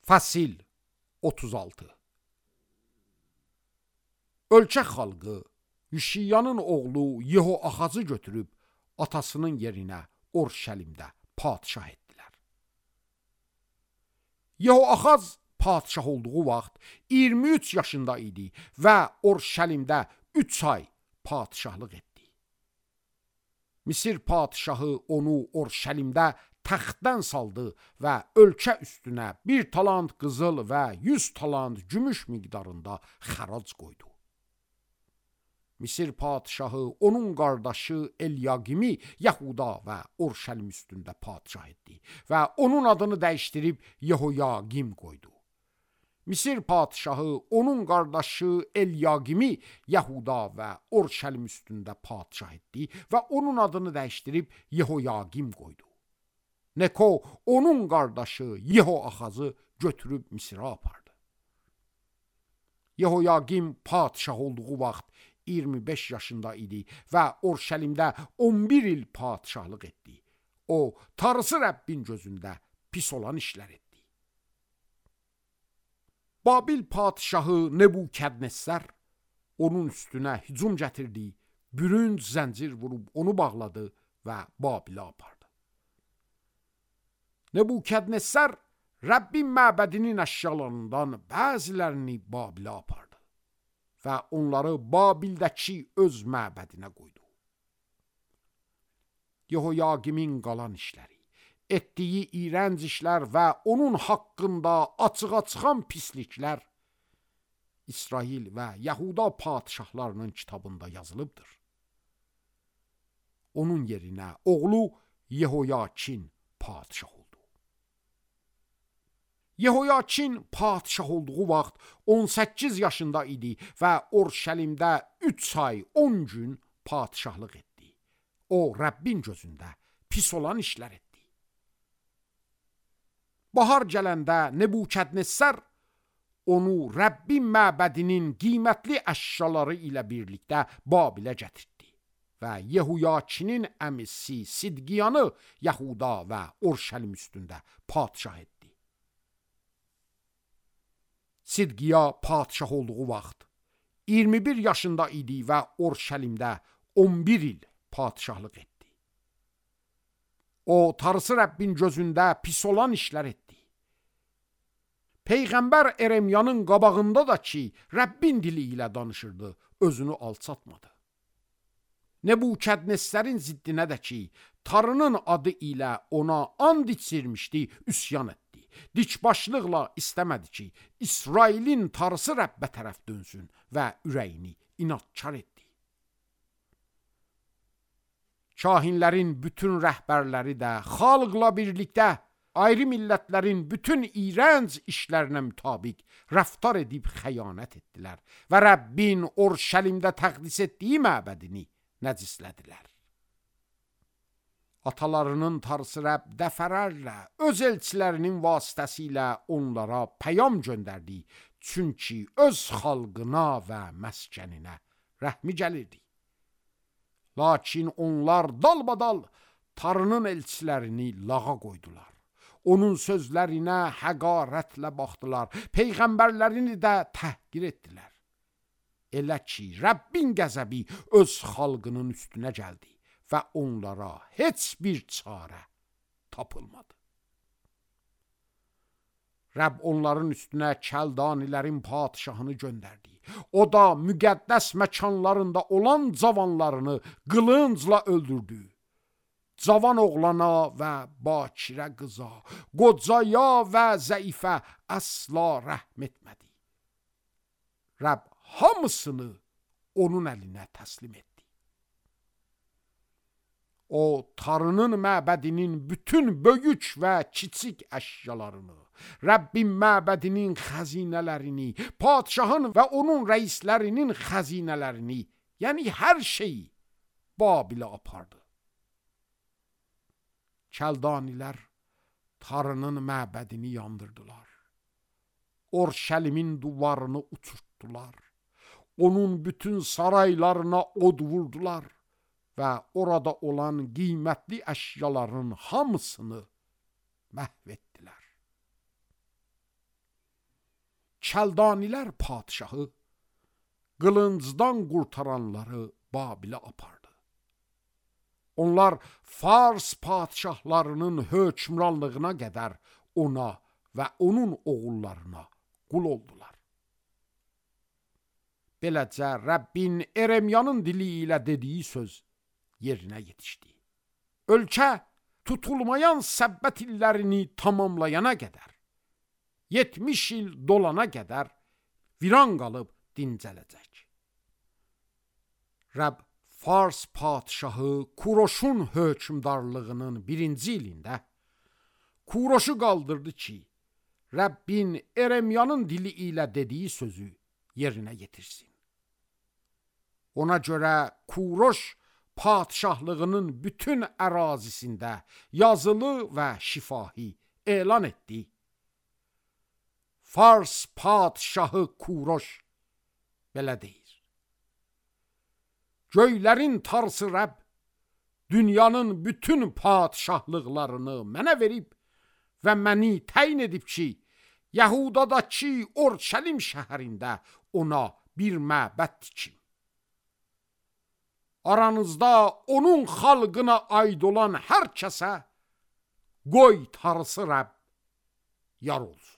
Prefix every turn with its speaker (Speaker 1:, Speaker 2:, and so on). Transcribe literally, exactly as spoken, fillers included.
Speaker 1: Fəsil otuz altı. Ölkə xalqı Yüşiyanın oğlu Yehoaxazı götürüb atasının yerinə Orşəlimdə padişah etdilər. Yehoaxaz padişah olduğu vaxt iyirmi üç yaşında idi və Orşəlimdə üç ay padişahlıq etdi. Misir padişahı onu Orşəlimdə təxtdən saldı və ölkə üstünə bir talant qızıl və yüz talant gümüş miqdarında xərac qoydu. Misir padişahı onun qardaşı Elyaqimi Yahuda və Orşəlim üstündə padişah etdi və onun adını dəyişdirib Yehoyaqim qoydu. Misir padişahı onun qardaşı Elyaqimi Yahuda və Orşəlim üstündə padişah etdi və onun adını dəyişdirib Yehoyaqim qoydu. Neko onun qardaşı Yehoaxazı götürüb Misirə apardı. Yehoyaqim padişah olduğu vaxt iyirmi beş yaşında idi və Orşəlimdə on bir il padişahlıq etdi. O, Tanrısı Rəbbin gözündə pis olan işlər etdi. Babil padişahı Nebukadnessar onun üstünə hücum gətirdi, bürünc zəncir vurub onu bağladı və Babilə apardı. Nebukadnessar Rəbbin məbədinin əşyalarından bəzilərini Babilə apardı və onları Babildəki öz məbədinə qoydu. Yehoyaqimin qalan işləri, etdiyi iyrənc işlər və onun haqqında açığa çıxan pisliklər İsrail və Yahuda padişahlarının kitabında yazılıbdır. Onun yerinə oğlu Yehoyakin padişah oldu. Yehoyakin padişah olduğu vaxt on səkkiz yaşında idi və Orşəlimdə üç ay on gün padişahlıq etdi. O, Rəbbin gözündə pis olan işlər etdi. Bahar gələndə Nebukadnessar onu Rəbbin məbədinin qiymətli əşyaları ilə birlikdə Babilə gətirdi və Yehuyakinin əmisi Sidqiyanı Yahuda və Orşəlim üstündə padişah etdi. Sidqiya padişah olduğu vaxt iyirmi bir yaşında idi və Orşəlimdə on bir il padişahlıq etdi. O, Tanrısı Rəbbin gözündə pis olan işlər etdi. Peyğəmbər Eremyanın qabağında da ki, Rəbbin dili ilə danışırdı, özünü alçatmadı. Nebukadnessarın ziddinə də ki, Tanrının adı ilə ona and içirmişdi, üsyan etdi. Dikbaşlıqla istəmədi ki, İsrailin Tanrısı Rəbbə tərəf dönsün və ürəyini inadkar etdi. Kahinlərin bütün rəhbərləri də xalqla birlikdə ayrı millətlərin bütün iyrənc işlərinə mütabiq rəftar edib xəyanət etdilər və Rəbbin Orşəlimdə təqdis etdiyi məbədini nəcislədilər. Atalarının Tanrısı Rəbb dəfələrlə öz elçilərinin vasitəsilə onlara pəyam göndərdi, çünki öz xalqına və məskəninə rəhmi gəlirdi. Lakin onlar dalbadal Tanrının elçilərini lağa qoydular. Onun sözlərinə həqarətlə baxdılar, peyğəmbərlərini də təhqir etdilər. Elə ki, Rəbbin qəzəbi öz xalqının üstünə gəldi və onlara heç bir çarə tapılmadı. Rəbb onların üstünə Kəldanilərin padişahını göndərdi. O da müqəddəs məkanlarında olan cavanlarını qılıncla öldürdü. Cavan oğlana və bakirə qıza, qocaya və zəifə əsla rəhm etmədi. Rəbb hamısını onun əlinə təslim etdi. O, Tanrının məbədinin bütün böyük və kiçik əşyalarını, Rəbbin məbədinin xəzinələrini, padişahın və onun rəislərinin xəzinələrini, yəni hər şeyi Babilə apardı. Kəldanilər Tanrının məbədini yandırdılar. Orşəlimin duvarını uçurtdular. Onun bütün saraylarına od vurdular və orada olan qiymətli əşyaların hamısını məhv etdilər. Kəldanilər padşahı qılıncdan qurtaranları Babilə apardı. Onlar Fars padşahlarının hökmranlığına qədər ona və onun oğullarına qul oldular. Beləcə Rəbbin Eremyanın dili ilə dediyi söz yerinə yetişdi. Ölkə tutulmayan səbbət illərini tamamlayana qədər, yetmiş il dolana qədər viran qalıb dincələcək. Rəbb Fars padşahı Kuroşun hökmdarlığının birinci ilində Kuroşu qaldırdı ki, Rəbbin Eremyanın dili ilə dediyi sözü yerinə yetirsin. Ona görə Kuroş padşahlığının bütün ərazisində yazılı və şifahi elan etdi. Fars padşahı Kuroş belə deyir: Göylərin tarsı Rəbb dünyanın bütün padşahlıqlarını mənə verib və məni təyin edib ki, Yəhudadakı Orşəlim şəhərində ona bir məbəd tikim. Aranızda onun xalqına aid olan hər kəsə qoy tarısı Rəbb yar olsun.